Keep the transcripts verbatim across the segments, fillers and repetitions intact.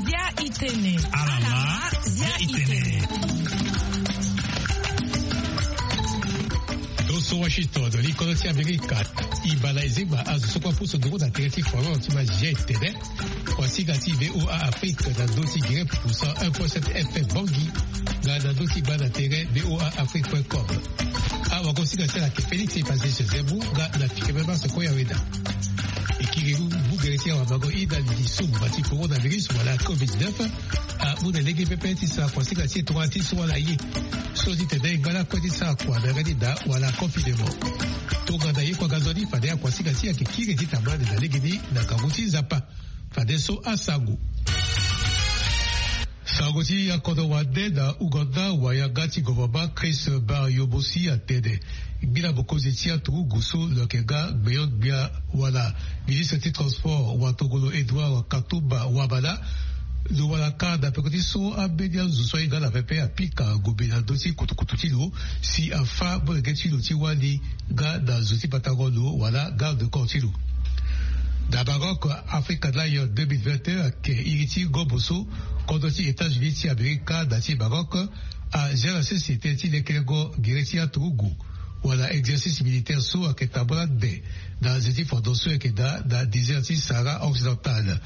Zia itene. Alama, zia itene. Doso Washington, likolo ti Amerika. Ibala ezeba azo so kue apusu nduru na tere ti forum ti ma zia itene. Kuasinga ti VOA Afrique na ndö ti gere pusa un point sept F M Bangui. Nga na ndö ti gba na tere VOA Afrique point com. Awa kuasinga ti ala ke Félix Epaze Joseph nga na fike mema soko ya weda. Ekiri lu bugere ti awa mango ida lisumba ti coronavirus wala covid neuf. Amu na lege pepe ti sara kuasinga ti e tongana ti so wala ye. So ti tene e ngba lakue ti sara kua na yanga ti da wala confinement. Tongana ye kua ga nzoni fade akuasinga ti e ayeke kiri ti tambula ande na lege ni na ngangu ti Nzapa. Fade so asango. Sango ti akodro wande na Ouganda, wayanga ti gouvernement Chris Baryobosi atene, ngbila mokonzi ti aturugu so lo yeke ga gbeon-gbia wala ministre ti transport watongolo Edouard Katumba Wamala, lo wara kâ na peko ti so ambeni azo so ahinga ala pepe apika ngombe na ndö ti kutukutu ti lo, si afâ molenge ti lo ti wali nga na zo ti patangolo wala garde corps ti lo. Na Maroc, Africa Lion deux mille vingt et un ayeke iri ti ngombo so kodro ti États-Unis ti Amerika na ti Maroc azia na sese tënë ti lekelengo gere ti aturugu wala exercice militaire so ayeke tambula ande na nze ti fondo so ayeke daa na désert ti Sahara occidental.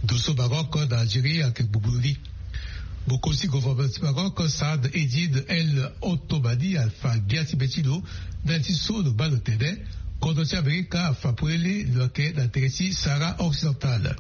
Ndo so Maroc na Algérie ayeke gbugbulu ni. Mokonzi ti gouvernement ti Maroc, Saad Eddine El Ottomani, afa gbia ti be ti lo ndali ti so lo baa lo tene kodro ti Amerika afa polele lo yeke na tere ti Sahara occidental.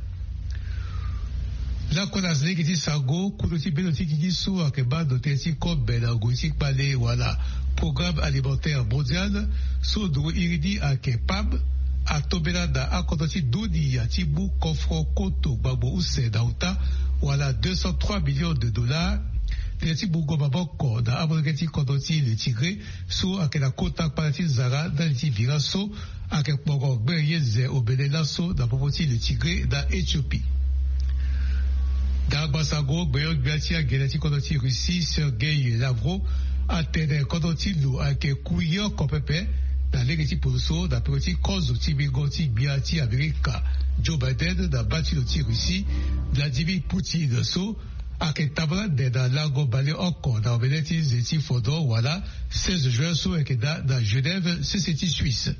Lakue na lege ti sango, kodro ti bendo ti gigi so ayeke baa ndo tënë ti kobe na ngoi ti kpale wala Programme Alimentaire Mondial, so nduru iri ni ayeke PAM, atombela na akodro ti dunia ti mu kofro koto gbangbo use na uta wala deux cent trois millions de dollars. Tënë ti mungo maboko na amolenge ti kodro ti le Tigré so ayeke na kota kpale ti nzara ndali ti vira so ayeke kporo gbere ye ze obele laso na popo ti le Tigré na Éthiopie. Dagba sango, gbeon-gbia ti agene ti kodro ti Russie, Sergei Lavrov, atene kodro ti lo ayeke ku ye oko pepe na lege ti poroso na peko ti kozo ti mingo ti gbia ti Amerika, Joe Biden, na baa ti lo ti Russie, Vladimir Poutine, so ayeke tambula ande na lango baleoko na omene ti nze ti fondo wala seize juin so ayeke daa na Genève, sese ti Suisse.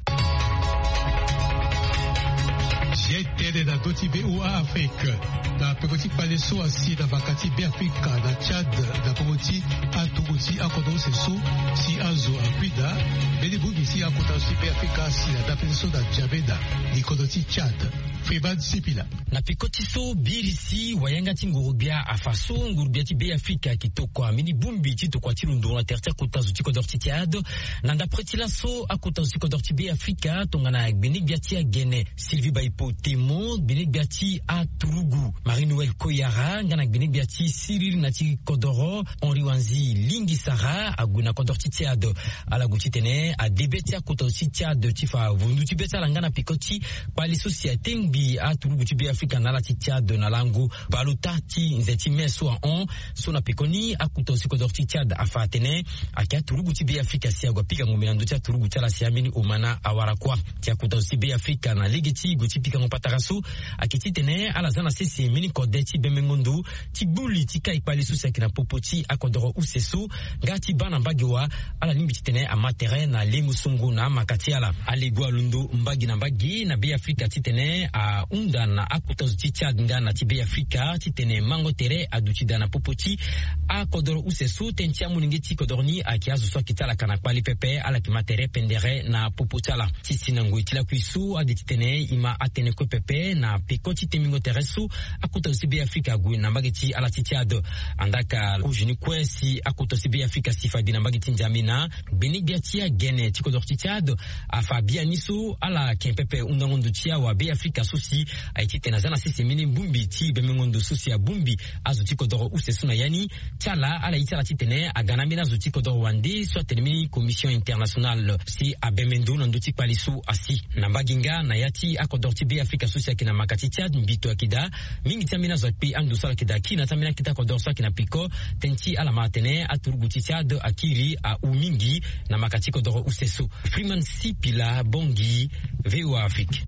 Zia e tene na ndö ti VOA Afrique. Na peko ti kpale so asi na mbaka ti Beafrika na Tchad, na popo ti aturugu ti akodro use so si azo akui daa, mbeni bongbi ti akota zo ti Beafrika asi na dapete so na N'Djamena, likondo ti Tchad. Freeman Sipila. Na peko ti so birisi wayanga ti nguru-gbia afa so nguru-gbia ti Beafrika ayeke tokua mbeni bongbi ti tokua ti lo nduru na tere ti akota zo ti kodro ti Tchad. Na ndapre ti laso, akota zo ti kodro ti Beafrika tongana gbene-gbia ti agene Sylvie Baipo Temo, gbene-gbia ti aturugu Marie-Noëlle Koyara nga na gbene-gbia ti siriri na ti kodoro Henri Wanzi Lingisara ague na kodro ti Tchad. Ala gue titene ade be ti akota zo ti Tchad ti fa vundu ti be ti ala nga na peko ti kpale so si atengbi aturugu ti Beafrika na ala ti Tchad na lango baleota ti nze ti mai so ahon. So na pekoni, akota zo ti kodro ti Tchad afa atene ayeke aturugu ti Beafrika si ague apika ngombe na ndö ti aturugu ti ala si ambeni omana awara kuâ. Ti akota zo ti Beafrika na lege ti gue ti pikango patara so ayeke titene ala za na sese mbeni kode ti bembengo ndo ti gbu li ti kai kpale so si ayeke na popo ti akodoro use so, nga ti baa na mbage wa ala lingbi titene ama tere na lengo songo na amaka ti ala. Alego alondo mbage na mbage na Beafrika titene ahunda na akota zo ti Tchad nga na ti Beafrika titene mango tere aduti daa na popo ti akodoro use so. Tënë ti amolenge ti kodoro ni ayeke azo so ayeke ti ala ka na kpale pepe, ala yeke ma tere pendere na popo ti ala. Ti si na ngoi ti lakui so ade titene e ma atene kue pepe na peko ti tembingo tere so akota zo ti Beafrika ague na mbage ti ala ti Tchad. Andaa ka kozo ni kue si akota zo ti Beafrika si fa gi na mbage ti N'Djamena, gbene-gbia ti agene ti kodro ti Tchad afa biani so ala yeke pepe hundango ndo ti awabeafrika so si aye titene aza na sese mbeni bongbi ti bembengo ndo so si abongbi azo ti kodoro use so na ya ni. Ti ala, ala ye ti ala titene aga na ambeni azo ti kodoro wande so atene mbeni Commission Internationale si abembe ndo na ndö ti kpale so asi. Na mbage nga na ya ti akodoro ti Beafrika so si ayeke na maka ti Tchad, mbito ayeke daa. Mingi ti ambeni azo akpe ando so ala yeke daa kiri na ya ti ambeni akete akodoro so ayeke na peko. Tënë ti ala ma atene aturugu ti Tchad akiri ahu mingi na maka ti kodoro use so. Freeman Sipila, Bangui, VOA Afrique.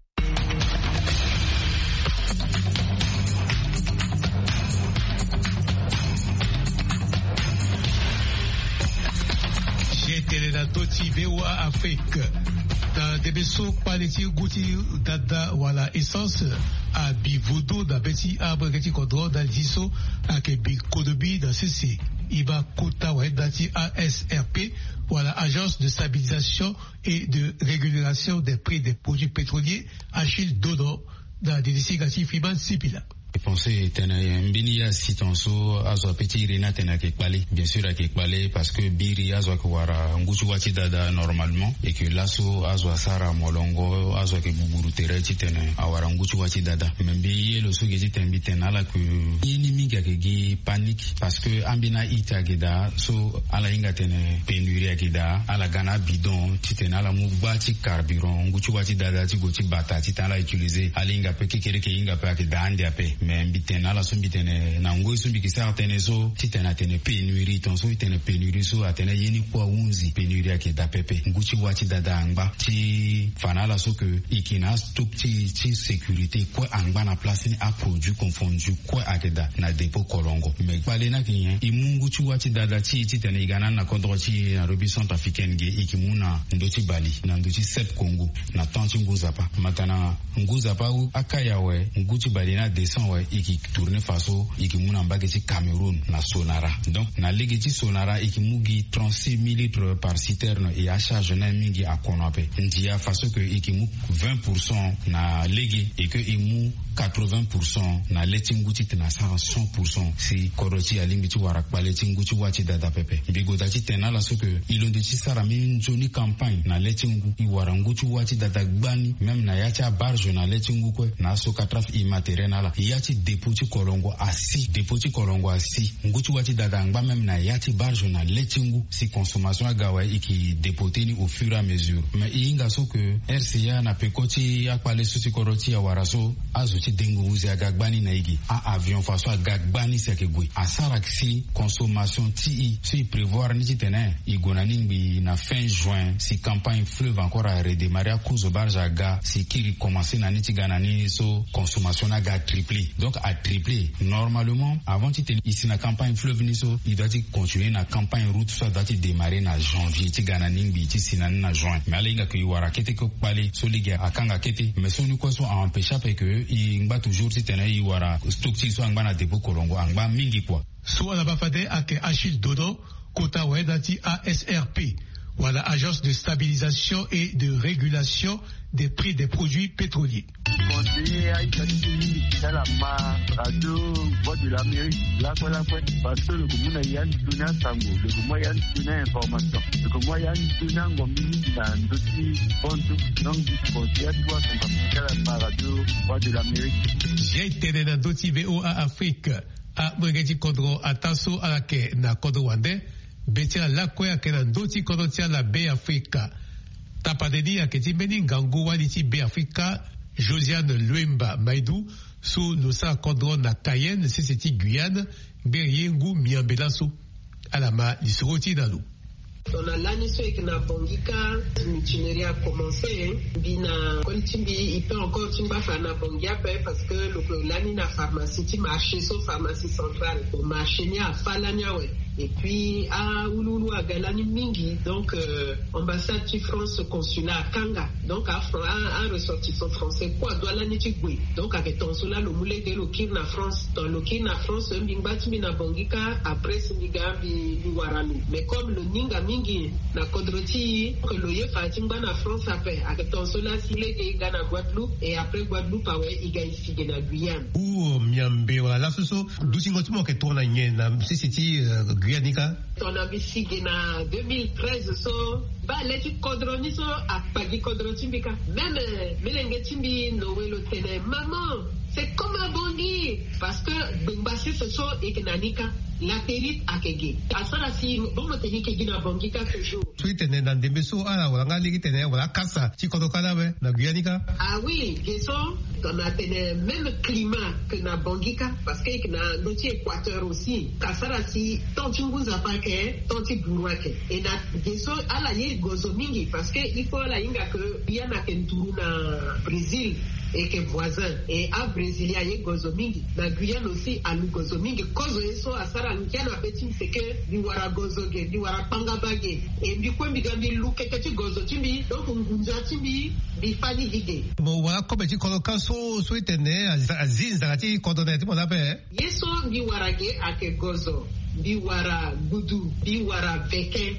Na ndö ti VOA Afrique, na ndembe so kpale ti ngu ti dada wala essence abi vodo na be ti amolenge ti kodro ndali ti so ayeke bi kodobi na sese. E baa kota wayenda ti ASRP wala Agence de Stabilisation et de Rémunération des Prix des Produits Pétroliers, Achille Donon, na didi singa ti Freeman Sipila. Pense tene mbeni ya siton so azo ape ti iri ni atene ayeke kpale. Bien sûr ayeke kpale parce que biri azo ayeke wara ngu ti wa ti dada normalement et que laso azo asara molongo, azo ayeke guguru tere titene awara ngu ti wa ti dada. Mais mbi ye lo so gi titene mbi tene na ala que ye ni mingi ayeke gi panique parce que ambeni a-ita ayeke daa so ala hinga tene pénurie ayeke daa, ala ga na abidon titene ala mu gba ti carburant ngu ti wa ti dada ti gue ti bata titene ala utiliser. Ala hinga ape kekereke hinga ape ayeke daa ande ape. Mais mbi tene na ala so mbi tene na ngoi so mbi yeke sara tënë so titene atene pénurie, tongaso e tene pénurie so atene ye ni kue ahunzi, pénurie ayeke daa pepe. Ngu ti wa ti dada angba ti fa na ala so que e yeke na astock ti, ti sécurité kue angba na place ni, aproduit confondu kue ayeke daa na dépôt Kolongo. Mais kpale ni ayeke nyen? E mu ngu ti wa ti dada ti e titene e ga na ni na kodro ti e na République Centrafricaine ge, e yeke mu na ndö ti Bali na ndö ti Sep Congo na temps ti ngu nzapa. Mata na ngu nzapa akaya awe, ngu ti Bali ni adescend awe, e yeke tourner faso e yeke mu na mbage ti Cameroun na Sonara. Donc na lege ti Sonara e yeke mu gi trente-six mille litres par citerne et acharge ni aye mingi akono ape. Ndia faso que e yeke mu vingt pour cent na lege et que e mu quatre-vingts pour cent na le ti ngu titene asara cent pour cent si kodro ti e alingbi ti wara kpale ti ngu ti wa ti dada pepe. Mbi goda titene na ala so que e londo ti sara mbeni nzoni campagne na le ti ngu, e wara ngu ti wa ti dada gbani, même na ya ti abarge na le ti ngu kue na asokatraf e ma tere na ala. Ya ti dépôt ti Kolongo asi, dépôt ti Kolongo asi. Ngu ti wa ti dada angba même na ya ti barge na le ti ngu si consommation aga awe, e yeke dépoter ni au fur et à mesure. Mais e hinga so que RCA na peko ti akpale so si kodro ti e awara so, azo ti dengo huzi aga gbani na e ge. A-avion faso aga gbani si ayeke gue. Asara si consommation ti e so e prévoir ni titene e gue na ni ngbii na fin juin si campagne fleuve encore a redémarrer, akozo barge aga si kiri commencer na ni ti ga na ni so consommation ni aga triplé. Donc a triplé. Normalement, avant titene e si na campagne fleuve ni so, e doit ti continuer na campagne route so adoit ti démarrer na janvier ti ga na ni ngbii ti si na ni na juin. Mais ala hinga que e wara kete kue kpale so lege akanga kete. Mais so ni kue so a empêcher ape que e ngba toujours titene e wara stock ti e so angba na dépôt Kolongo angba mingi kua. So ala baa fade ayeke Achille Donon, kota wayenda ti ASRP, wala Agence de Stabilisation et de Régulation des Prix des Produits Pétroliers. Conseiller aita ti ala ma radio Voix de l'Amérique lakue lakue, parce que lo ke mu na ya ni toni asango, lo ke mu ya ni toni information, lo ke mu ya ni toni angombi mingi na ndö ti bonzo. Donc conseiller atu asango ti ala ma radio Voix de l'Amérique. Ye tene na ndö ti VOA Afrique. Amolenge ti kodro ataa so ala yeke na kodro wande, be ti ala lakue ayeke na ndö ti kodro ti ala Beafrika. Tapande ni ayeke ti mbeni ngangu wali ti Beafrika, Josiane Luemba Maidu, so lo sara kodro na Cayenne, sese ti Guyane, ngbere ye ngu miambe laso. Ala ma lisoro ti e na lo. Tongana lani so e yeke na Bangui kâ, mutinerie a commencé. Mbi na koli ti mbi e peut encore ti ngba fa na Bangui ape, parce que lo ke lani na pharmacie ti marché so, pharmacie centrale. Bon, marché ni afâ lani awe. Et puis awuluwulu aga lani mingi. Donc ambassade ti France, consulat akanga. Donc a ressortissant français kue adoit lani ti gue. Donc ayeke tongaso laa lo mu lege lo kiri na France. Tongana lo kiri na France, mbi ngba ti mbi na Bangui kâ, après si mbi ga mbi wara lo. Mais comme lo ninga mingi na kodro ti e, que lo ye fa ti ngba na France ape, ayeke tongaso laa si lege e ga na Guadeloupe, et après Guadeloupe awe e ga e si ge na Guyane. Ou miambe wala laso so dutingo ti mo ayeke tongana nyen na sese ti Guyane ni kâ? Tongana mbi si ge na deux mille treize so, baa le ti kodro ni so akpa gi kodro ti mbi kâ. Même melenge ti mbi noe lo tene maman, c'est comme à Bangui. Parce que gbengba sese so e yeke na ni kâ. Latérite ayeke ge. Asara si bon mo tene e yeke gi na Bangui kâ toujours. So e tene na ndembe so ala wara nga lege tene wala akasa ti kodro kâ laa awe na Guyane ni kâ. Ah oui, ge so tongana tene même climat que na Bangui kâ, parce que e yeke na ndö ti Équateur aussi. Asara si temps ti ngu nzapa ayeke temps ti buru ayeke. Et na ge so ala ye gozo mingi, parce que il faut ala hinga que ya ni ayeke nduru na Brésil. Eke voisin e abrésilien aye gozo mingi. Na guyane aussi alu gozo mingi. Kozo ye so asara ngia na be ti mbi seke mbi wara gozo ge, mbi wara kpangaba ge. E mbi kue mbi ga mbi lu keke ti gozo ti mbi, donc ngunza ti mbi mbi fani gi ge. Mo wara kobe ti kodro ka so so itene azi nzara ti kodro na ya ti mo na ape. Ye so mbi wara ge ake gozo, mbi wara gudu, mbi wara veke.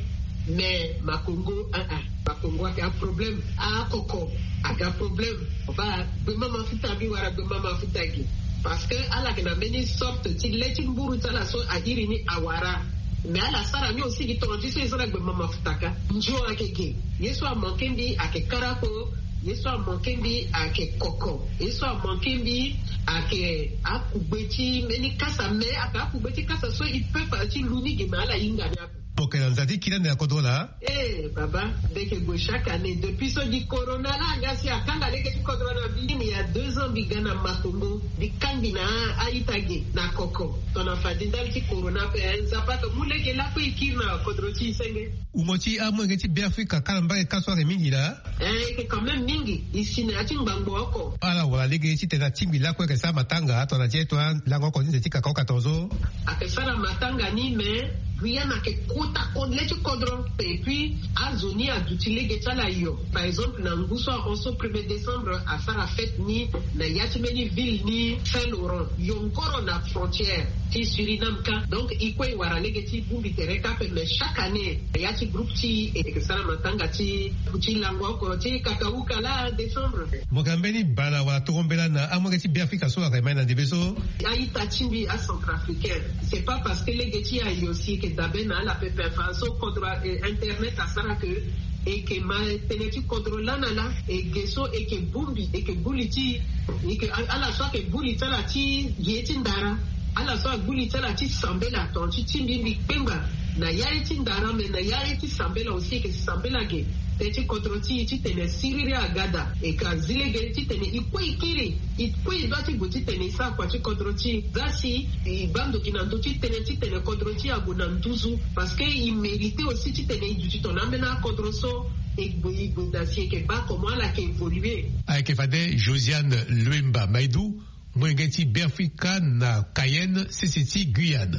Mais makongo aa, makongo ake aproblème. Akoko ake aproblème. Oba gbema mafuta, mbi wara gbema mafuta gi. Parce que ala yeke na mbeni sorte ti le ti mburu ti ala so a iri ni awara. Mais ala sara ni aussi gi tonga ti so e sara gbema mafuta ka. Ndio ake ge. Ye so amanke mbi ake karako. Ye so amanke mbi ake koko. Ye so amanke mbi ake akugbe ti mbeni kasa. Mais ake akugbe ti kasa so e peut fa ti lu ni ge, mais ala hinga ni ape. Mo yeke na nza ti kiri ande na kodro laa. Eh baba, mbi yeke gue chaque année depuis so gi corona laa nga si akanga lege ti kodro na mbi. Mbi ya deux ans mbi ga na makongo, mbi kangbi na a-ita ge na koko. Tongana fade ndali ti corona ape, eh, nzapa ake mu lege lakue e kiri na kodro ti e senge. Umo ti amolenge ti Beafrika kara mbage ka so ake mingi laa. Eh, eke quand même mingi. E si na ya ti ngbangbo oko. Ala wara lege titene atingbi lakue eke sara matanga tongana ti e to alango oko ti nze ti kaka oko ato so. Ake sara matanga ni, mais guyane ake kota kodro, le ti kodro. Et puis azo ni aduti lege ti ala yo. Par exemple na ngu so ahon so premier décembre asara fête ni na ya ti mbeni ville ni Saint Laurent, yongoro na frontière ti Suriname ka. Donc e kue e wara lege ti bongbi tere ka ape, mais chaque année na ya ti groupe ti e eke sara matanga ti, ti lango oko ti kakauka laa décembre. Mo yeke na mbeni bana wala toro mbela na amolenge ti Beafrika so ake mai na ndembe so? A-ita ti mbi acentrafricain. C'est pas parce que lege ti e ayo si eke dabe na ala pepe. Fa so kodro, eh, internet asara ke eke ma tënë ti kodro laa na laa. E ge so eke bongbi, eke gbu li ti e, eke, ala so ake gbu li ti ala ti ye ti ndara, ala so agbu li ti ala ti sambela, tongana ti ti mbi mbi kpengba na ya ye ti ndara, me na ya ye ti sambela aussi eke sambela ge. Tënë ti kodro ti e titene siriri aga daa. Eke azi lege titene e kue e kiri, e kue e doit ti gue titene e sara kua ti kodro ti e. Za si e baa ndoki na ndö ti tënë titene kodro ti e ague na nduzu. Parce que e mérite aussi titene e duti tongana ambeni akodro so e gbe, e gbe daa si e yeke baa comment ala yeke évoluer. Ayeke fade Josiane Luemba Maidou, molenge ti Beafrika na Cayenne, sese ti Guyane.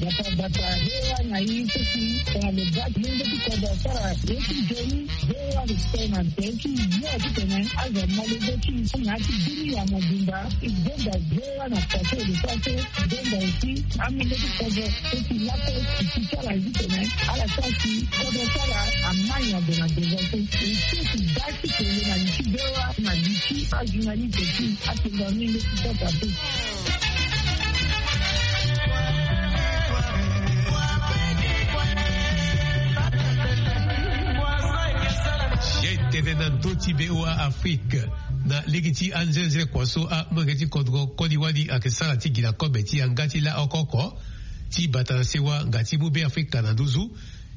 Bata bata hewa na ye ti si tongana lo baa molenge ti kodro asara ye ti nzoni. Hewa lo tene na nze ti yo titene azo amolenge ti na ya ti bini ya mobimba. E gbonga hewa na pase lo pase. Gbonga aussi amolenge ti kodro so si lakue si ti ti ala ye titene ala sara si kodro ti ala amai na ndo na ndoza so. E so si baa ti kele na li ti hewa na li ti ajournaliste ti atenda amolenge ti kodro ape. Ye tene na ndö ti V O A Afrique na lege ti anzenze kua so amolenge ti kodro koli wali ayeke sara ti gi na kobe ti yanga ti la oko oko ti bata na sewa nga ti mu Beafrika na nduzu.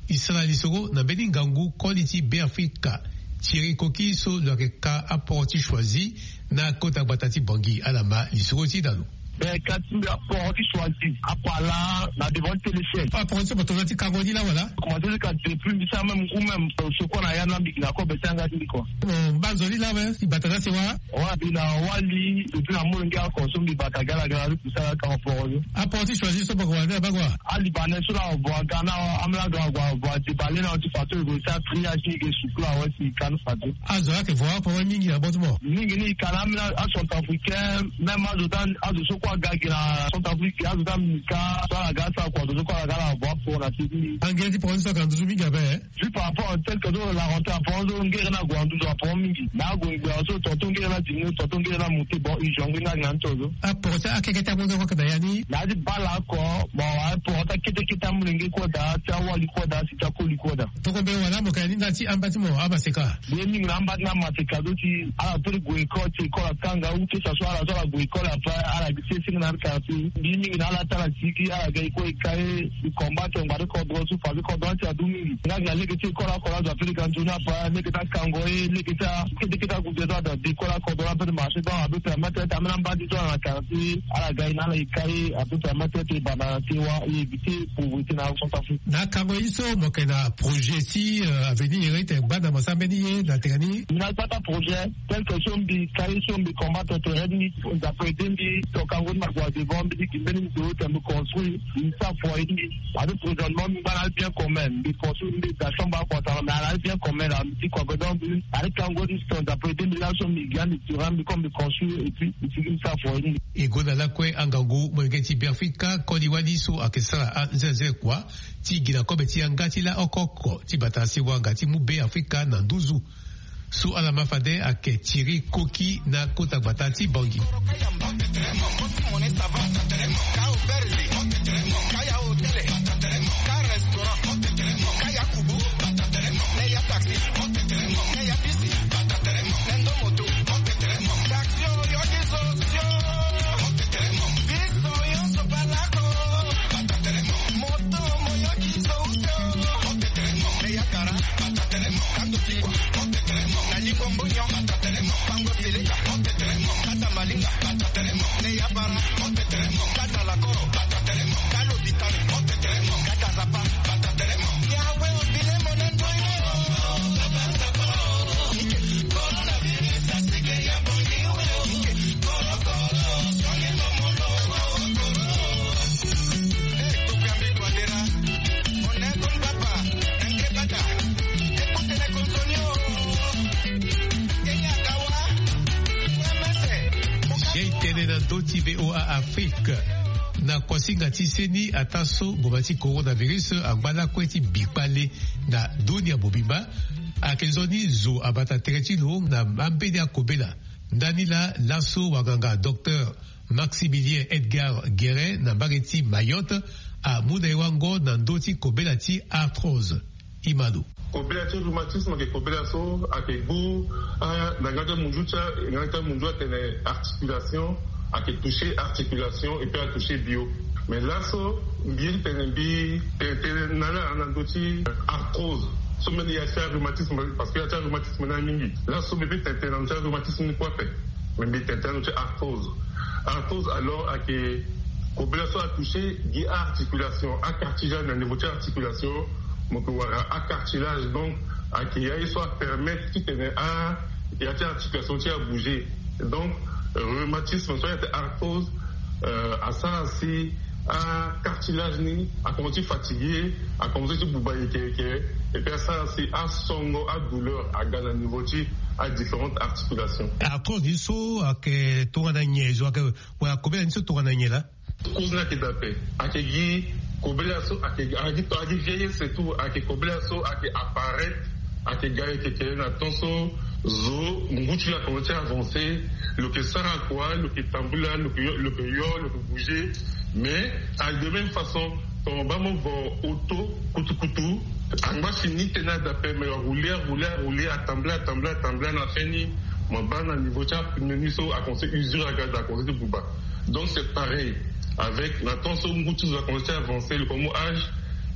E sara lisoro na mbeni ngangu koli ti Beafrika Thierry Koki so lo yeke ka aporo ti Choisy na kota gbata ti Bangui. Ala ma lisoro ti e na lo. Ben, ka ti mbi aporo ti Choisy, apala na devant ti téléchaîne. Aporo ti so mo tongana ti kango ni laa wala? Commencé ti ka depuis mbi sara même ngu même, euh, so kue na ya na mbi gi na kobe ti yanga ti mbi kua. Mo baa nzoni laa awe, e bata na sewa? Wa mbi na wali depuis na molenge oko so mbi bata gala gala ti sara ka aporo ni. Aporo ti Choisy so mo yeke wara ni na baa kua? Alibanais so na vo aga na ambeni aga vo avo adebale na ti fadeso e gue sara triage ni e ke sukula awe si e ka ni fadeso. Azo laa ayeke vo aporo mingi na bâtiment. Mingi ni e ka na ambeni acentrafricain, même azo ti azo so kue aga gi na Centrafrique, azo ti amika so ala ga asara kua, azo so kue ala ga ala vo aporo na se ti ni. Angere ti poro ni so ayeke na nduzu mingi ape. Vu par rapport tel que so la rentrée aporo so ngere ni ague na nduzu aporo mingi. Na ague ngbia so tonton ngere ni adiminu, tonton ngere ni amonte, bon, e jongé ni ayeke na ni to so. Aporo ti akeke ti amolenge kue ayeke na ya ni? Na ya ti bale oko, bon, aporo ti akete kete amolenge kue daa, ti awali kue daa, si ti akoli kue daa. Toko mbeni wala mo yeke na ni ndali ti amba ti mo amaseka? Mbi ye mingi na amba ti ni amaseka so si ala peut ti gue école, si école atanga ou que ça soit ala so ala gue école après ala Abi ti e senge na ala kara ti mbi mingi na ala ti ala sigi ala ga e kue e ka e. E combat tongba ti kodro so fa ti kodro ti adu mingi nga gi na lege ti e kora kora azo ape lege anzoni apa lege ti akango e lege ti a lege ti agude so ada de kora kodro ape ti marché donc ape permettre ti ambeni ambadi so ala na kara ti ala ga e na ala e ka e ape permettre ti e banda na sewa e éviter pauvreté na centrafrique. Na akango ye so mo yeke na projet ti avenir ete gbanda mo sara mbeni ye na tene ni. Mbi na gbata projet tel que so mbi ka ye so mbi combat tere ni. Nzapa ede mbi toka ngoni ma kua devant mbi ti gi mbeni ndo ete mbi construire mbi sara foyer ni. Ade présentement mbi ngba na ali bien commun mbi construire mbi da chambre akua tara mais ala ali bien commun la mbi ti kua godon mbi. Ade kango ni so nzapa ede mbi laso mbi gi ande terrain mbi comme mbi construire et puis mbi sigi mbi sara foyer ni. E gue na lakue angangu molenge ti beafrika koli wali so ayeke sara anzenze kua ti gi na kobe ti yanga ti laoko oko ti bata si wanga ti mu beafrika na nduzu. So ala ma fade ayeke tiri koki na kota gbata ti bangi. Ye tene na ndö ti VOA Afrique. Na kuasinga ti seni ataa so ngboma ti coronavirus angba lakue ti bi kpale na dunia mobimba. Ayeke nzoni zo abata tere ti lo na ambeni akobela. Ndani laa laso wanganga docteur Maximilien Edgar Guérin na mbage ti Mayotte amu na e wango na ndö ti kobela ti arthrose. Imano. Kobela ti rhumatisme ayeke kobela so ayeke gbu na nga ti amunzu ti nga ti amunzu atene articulation ayeke toucher articulation et puis atoucher bio. Mais laso mbi ye ti tene mbi tene tene na ala na ndö ti arthrose so mbeni ya ti arhumatisme parce que ya ti arhumatisme ni aye mingi. Laso mbi peut tene tene na ndö ti arhumatisme ni kue ape. Mais mbi tene tene na ndö ti arthrose. Arthrose alors ayeke kobela so atoucher gi aarticulation acartilage na niveau ti articulation. Mo yeke wara acartilage donc ayeke ya ye so apermettre titene a ya ti articulation ti abouger. Donc rhumatisme so ayeke arthrose asara si acartilage ni akomanse ti fatiguer, akomanse ti buba yeke yeke. Et puis asara si asongo adouleur aga na niveau ti adifférentes articulations. Arthrose ni so ayeke tongana nyen zo ayeke wala kobela ni so tongana nyen laa? Cause ni ayeke daa ape. Ayeke gi kobela so ayeke gi vieillesse et tout ayeke kobela so ayeke apparaître. Ayeke ga yeke kele na temps so zo ngu ti lo akomanse ti avancer. Lo yeke sara kua lo yeke tambula lo yeke yo lo yeke bouger. Mais ayeke de même façon ton baa mo vo auto kutukutu. Angba si ni tene daa ape mais arouler arouler arouler atambula atambula atambula na fin ni mo baa na niveau ti apneu ni so akomanse usure aga daa akomanse ti buba. Donc c'est pareil avec na temps so ngu ti zo akomanse ti avancer lo komo âge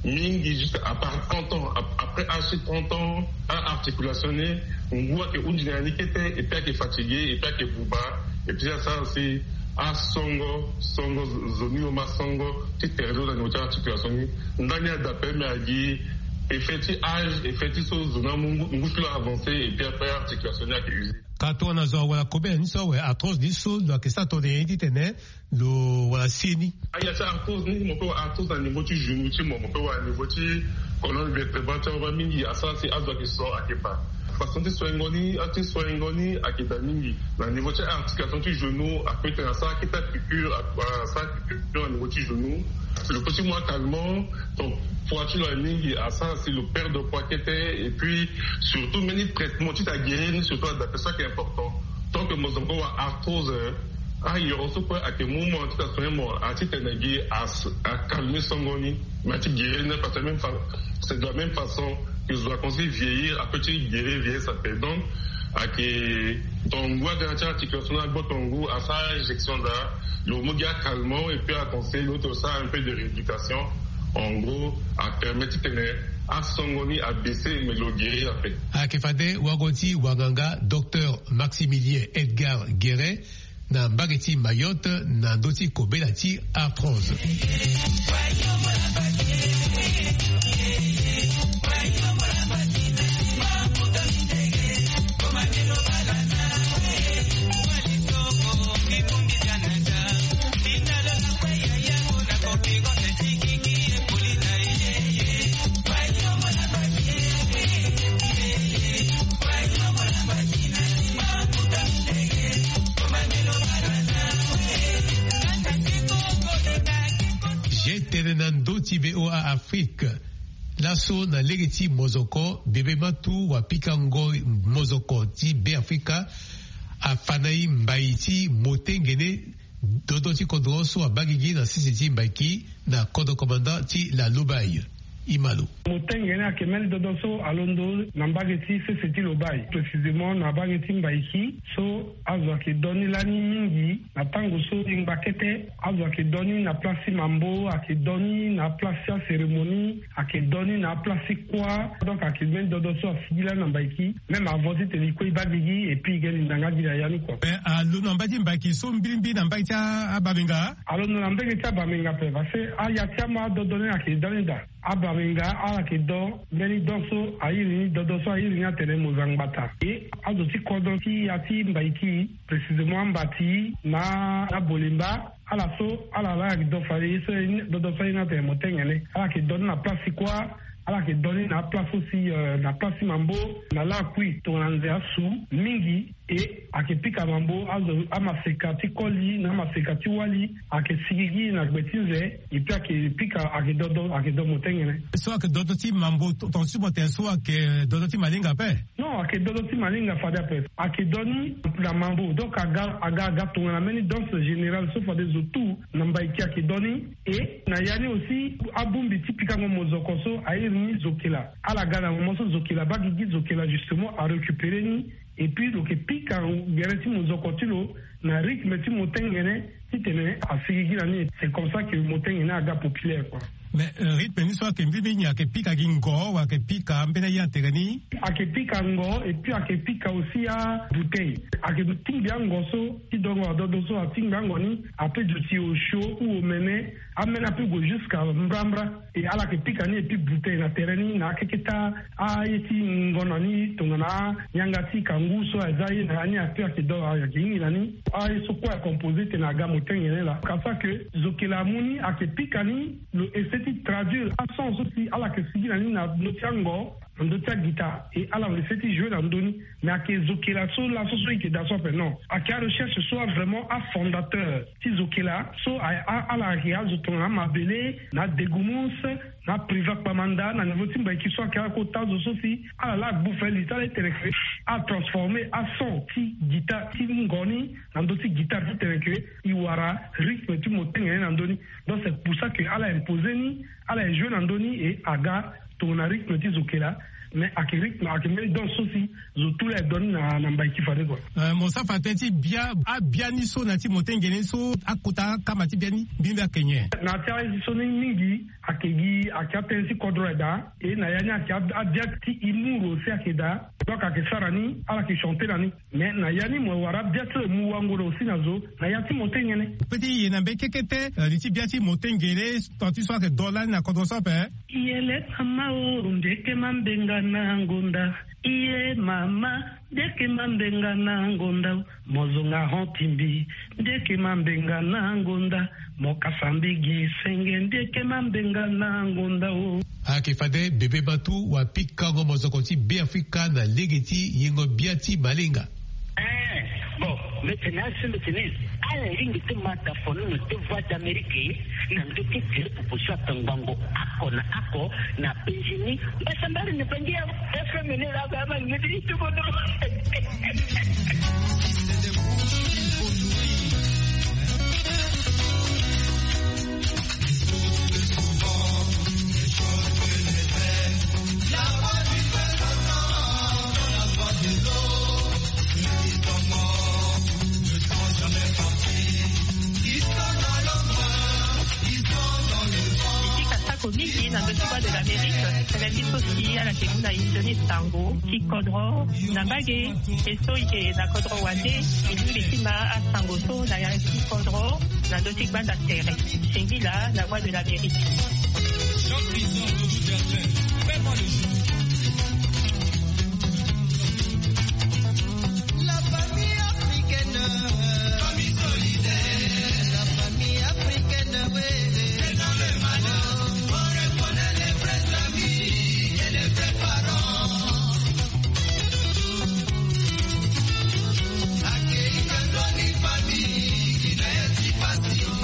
mingi juste à part trente ans. Après âge ti trente ans aarticulation ni ngu ayeke hunzi na ya ni kete et puis ayeke fatiguer et puis ayeke buba. Et puis asara si asongo songo zo ni lo ma songo ti tere ti lo na niveau ti articulation ni. Ndani ada ape mais agi effet ti âge effet ti so zo ni amu ngu ti lo avancer et puis après articulation ni ayeke usure. Ka tongana zo awara kobela ni so awe arthrose ni so lo yeke sara tongana nyen titene lo wara se ni? Aya ti arthrose ni mo peut wara arthrose na niveau ti genou ti mo mo peut wara niveau ti colonne vertébrale ti awe mingi asara si azo ayeke so ayeke baa. Façon ti soingo ni ati soingo ni ayeke daa mingi na niveau ti articulation ti genou apeut tene asara aketa piqûre asara piqûre na niveau ti genou. Lo peut ti mu acalmant. Donc poids ti lo aye mingi asara si lo perdre poids kete. Et puis surtout mbeni traitement ti ta guérir ni surtout ada ape so ayeke important. Tant que mo zo mo kue wara arthrose ayoro so kue ayeke mu mo na ti ta soigner mo na ti tene gi acalmer songo ni. Mais ti guérir ni parce que même fa c'est de la même façon que zo akomanse ti vieillir apeut ti guérir vieillesse ape. Donc ayeke tonga ngu aga na ti articulation ni agbo tonga ngu asara injection daa. Lo mu gi acalmant et puis aconseille lo ti lo sara un peu de rééducation. En gros, apermet titene asongo ni abaisse, mais lo guérir ape. Ayeke fade wago ti wanganga docteur Maximilien Edgar Guérin na mbage ti Mayotte na ndö ti kobela ti arthrose. Ge tene na ndö ti V O A Afrique. Laso na lege ti mozoko, bebe matu wa pikango mozoko ti Beafrika afa na e mbai ti motengene dodo ti kodro so abaa gigi na sese ti Mbaiki na kodro komanda ti la Lobaye. Imalo. Motengene ayeke mbeni dodo so alondo na mbage ti sese ti Lobaye, précisément na mbage ti Mbaiki, so azo ayeke do ni lani mingi. Na tango so e ngba kete, azo ayeke do ni na place ti mambo, ayeke do ni na place ti acérémonie, ayeke do ni na place ti kuâ. Donc ayeke mbeni dodo so asigi lani na Mbaiki, même avant titene e kue e baa gigi et puis e ge linda nga gi na ya ni kua. Mais alondo na mbage ti Mbaiki so mbilimbili na mbage ti a- abamenga? Alondo na mbage ti abamenga ape, parce que aya ti ama adodo ni ayeke da ni daa. Abamenga ala yeke do mbeni do so a iri ni, dodo so a iri ni atene mozangbata. E azo ti kodro ti ya ti Mbaiki, précisément ambati na abolemba, ala so ala la ayeke do fade ye so, dodo so a iri ni atene motengene. Ala yeke do ni na place ti kuâ, ala yeke do ni na aplace aussi, euh, na place ti mambo, na lakui tongana nze asu mingi. E ayeke pika mambo, azo, amaseka ti koli na amaseka ti wali ayeke sigigi na gbe ti nze. Et puis ayeke pika, ayeke dodo, ayeke do motengene. So ayeke dodo ti mambo, to- tonga ti mo tene so ayeke dodo ti malinga ape? Non, ayeke dodo ti malinga fade ape. Ayeke do ni na mambo, donc aga aga aga tongana mbeni danse générale so fade zo tout na Mbaiki ayeke do ni. E na ya ni aussi, abongbi ti pikango mozoko so a iri ni zokela. Ala ga na moment so zokela abaa gigi, zokela justement arécupéré ni. Et puis lo yeke pika gere ti mozoko ti lo na rythme ti motengene, titene asigigi na ni. C'est comme ça que motengene aga populaire, quoi. Mais, euh, rythme ni so ayeke mbi mbi ni ayeke pika gi ngo, wala ayeke pika mbeni aye na tere ni? Ayeke pika ngo, et puis ayeke pika aussi abouteille. Ayeke tingbi ango so ti dongo adodo so atingbi ango ni, ape duti osio ou omene, amene ape gue jusqu'à mbrambra. E ala yeke pika ni et puis bouteille na tere ni na akeke ti aye ti ngonda ni tongana ayanga ti kangu so aza ye na ya ni ape ayeke do ayeke hingi na ni. Aye so kue acompose tene aga motengene laa. Kasa ke zokela amu ni ayeke pika ni, lo essaie ti traduire ason so si ala yeke sigi na ni na ndö ti ango, na ndö ti aguitare, e ala essaie ti jouer na ndö ni. Mais ayeke zokela so laso so e yeke daa so ape, non. Ayeke arecherche so a vraiment afondateur ti zokela so a- a- ala yeke azo tongana amabele, na adegumus, na apriva kpamanda na niveau ti Mbaiki so ayeke akota zo so si ala la agbu fali ti ala ti tene ke atransformer ason ti guitare ti ngo ni na ndö ti guitare ti tene ke e wara rythme ti motengene na ndö ni. Donc c'est pour ça que ala imposer ni, ala e jouer na ndö ni, e aga tongana rythme ti zokela. Mais ayeke rythme, ayeke mbeni danse so si zo tout laa e do ni na na Mbaiki fade kua. Euh, mo sara fa tënë ti bia, abia ni so na ya ti motengene so akota akama ti bia ni mbi mbi ayeke nyen? Na ya ti aye so ni mingi ayeke gi, ayeke atënë ti kodro aye daa. E na ya ni ayeke ab- abia ti humour aussi ayeke daa. Donc ayeke sara ni, ala yeke chanter na ni. Mais na ya ni mo wara abia ti lo e mu wango na aussi na zo na ya ti motengene. Pe ti ye na mbeni kekete, euh, li ti bia ti motengene, tongana ti so ayeke do lani na kodro so ape. Iye le mama o, ndeke mambenga na ngonda. Iye mama, ndeke mambenga na ngonda. Mo zonga hon ti mbi, ndeke mambenga na ngonda. Mo kasa mbi gi senge, ndeke mambenga na ngonda o. Ayeke fade bebe matu wa pikango mozoko ti Beafrika na lege ti yengo bia ti malinga. Eh, bon, mbi tene asi mbi tene, ala lingbi ti ma tafoni na ndö Voix d'Amérique, na ndö ti tele popo so atangbango oko na oko na Benjini. Mbasambari na bangi ya F M ni la ba ma ngedi ti bodo. Na ndö ti Voix de l'Amérique, tënë ti so si ala yeke mu na e nzoni sango ti kodro na mbage. E so e yeke na kodro wande, e lingbi ti ma asango so na ya ti kodro na ndö ti gbanda tere. Singila na Voix de l'Amérique. La famille africaine, famille solidaire, la famille africaine, oui. C'est dans le malheur qu'on reconnaît les vrais amis et les vrais parents. Accueillir dans une famille qui n'a rien de facile.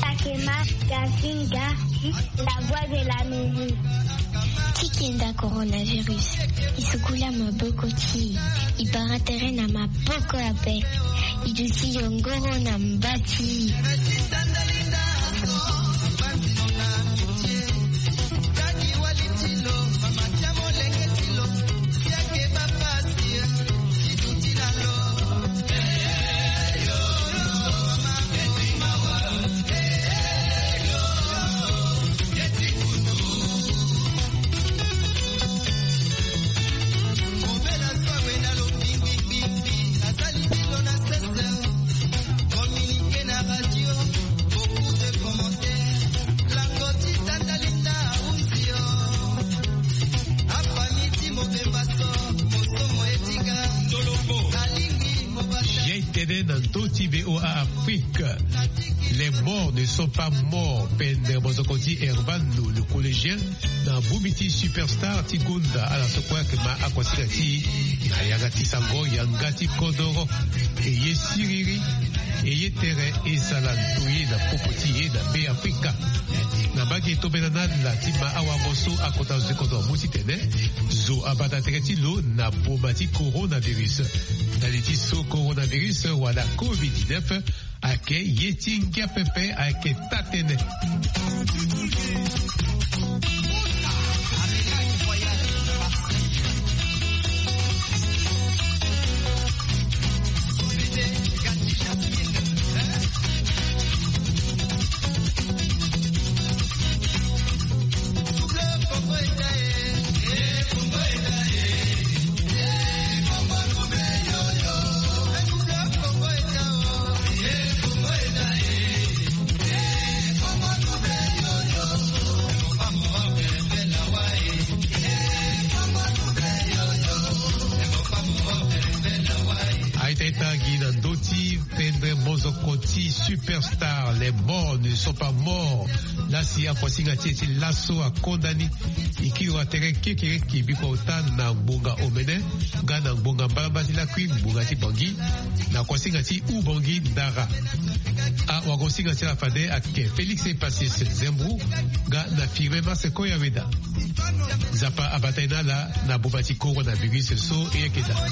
Takema Gazinga, la voix de l'Amérique. Ti kenda coronavirus, e sukula maboko ti e, e bara tere na maboko ape, e duti yongoro na mba ti e. Ye tene na ndö ti V O A Afrique. Les morts ne sont pas morts. Pendere mozoko ti Hervando, le collégien, na bongbi ti Superstar ti gonda, ala so kue ayeke ma akuasinga ti e na yanga ti sango, yanga ti kodoro. E ye siriri, e ye tere, e sala ndoye na popo ti e na Be Afrika. Na mbage tongana ala ti ma awango so akota zo ti kodro amu titene zo abata tere ti lo na boma ti coronavirus. Na li ti so coronavirus wala covid dix-neuf ayeke ye ti ngia pepe, ayeke taa-tënë. Aita e tangi na ndö ti pendere mozoko ti Superstar, les morts ne sont pas morts. Lasi akuasinga ti e ti laso akonda ni. E kiri wa tere kekereke biko ota na ngbonga omene nga na ngbonga mbalambala ti lakui ngbonga ti Bangui, na kuasinga ti Ubangui Ndara. Awagosinga ti ala fade ayeke Félix Epassis Zembro nga na Firmin Maseko Yaweda. Nzapa abata e na ala na boma ti coronavirus so e yeke daa.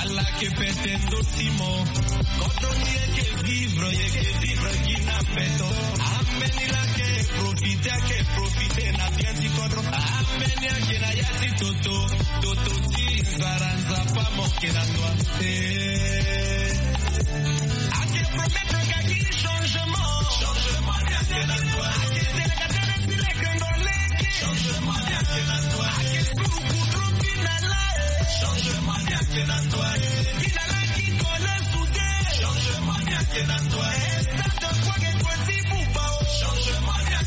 Ala yeke pete ndo ti mo. Kodro ni yeke vivre, yeke vivre gi na mbeto. Ambeni la yeke profite, ayeke profite na bien ti kodro. Ambeni ayeke na ya ti toto, toto ti nzara, Nzapa mo yeke na toi. Eh. Ayeke promettre ka gi changement. Changement ni ayeke na toi.